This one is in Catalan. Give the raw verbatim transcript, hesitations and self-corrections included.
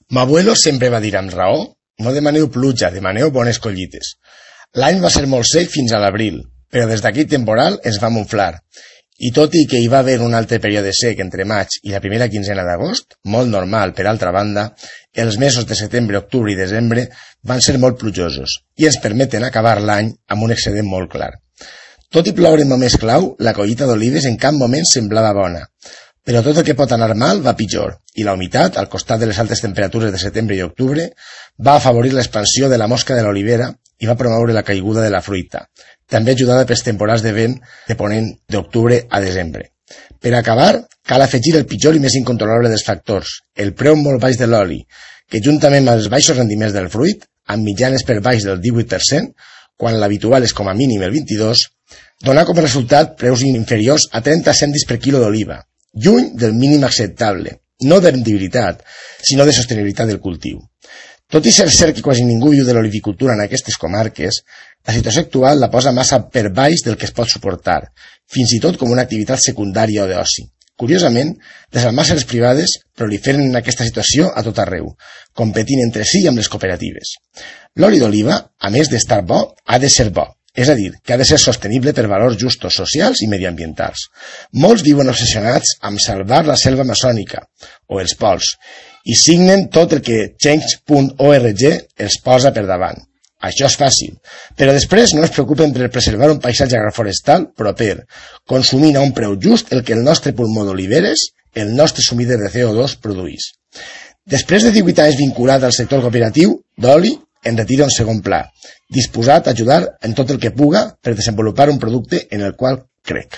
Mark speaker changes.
Speaker 1: M'abuelo sempre va dir amb raó: no demaneu pluja, demaneu bones collites. L'any va ser molt sec fins a l'abril, però des d'aquell temporal ens va monflar. I tot i que hi va haver un altre període sec entre maig i la primera quinzena d'agost, molt normal per altra banda, els mesos de setembre, octubre i desembre van ser molt plujosos i ens permeten acabar l'any amb un excedent molt clar. Tot i ploure en moments clau, la collita d'olives en cap moment semblava bona, però tot el que pot anar mal va pitjor, i la humitat, al costat de les altes temperatures de setembre i octubre, va afavorir l'expansió de la mosca de l'olivera i va promoure la caiguda de la fruita, també ajudada pels temporals de vent de ponent d'octubre a desembre. Per acabar, cal afegir el pitjor i més incontrolable dels factors, el preu molt baix de l'oli, que juntament amb els baixos rendiments del fruit, amb mitjanes per baix del divuit per cent, quan l'habitual és com a mínim el vint-i-dos per cent, dona com a resultat preus inferiors a trenta cèntims per quilo d'oliva, lluny del mínim acceptable, no de rendibilitat, sinó de sostenibilitat del cultiu. Tot i ser cert que quasi ningú viu de l'olivicultura en aquestes comarques, la situació actual la posa massa per baix del que es pot suportar, fins i tot com una activitat secundària o d'oci. Curiosament, les almàsseres privades proliferen en aquesta situació a tot arreu, competint entre si amb les cooperatives. L'oli d'oliva, a més d'estar bo, ha de ser bo, és a dir, que ha de ser sostenible per valors justos socials i mediambientals. Molts viuen obsessionats amb salvar la selva amazònica o els pols i signen tot el que change punt org els posa per davant. Això és fàcil, però després no es preocupen per preservar un paisatge agroforestal proper, consumint a un preu just el que el nostre pulmó d'oliveres, el nostre sumider de C O dos, produís. Després de divuit anys vinculat al sector cooperatiu d'oli, en retira un segon pla, disposat a ajudar en tot el que puga per desenvolupar un producte en el qual crec.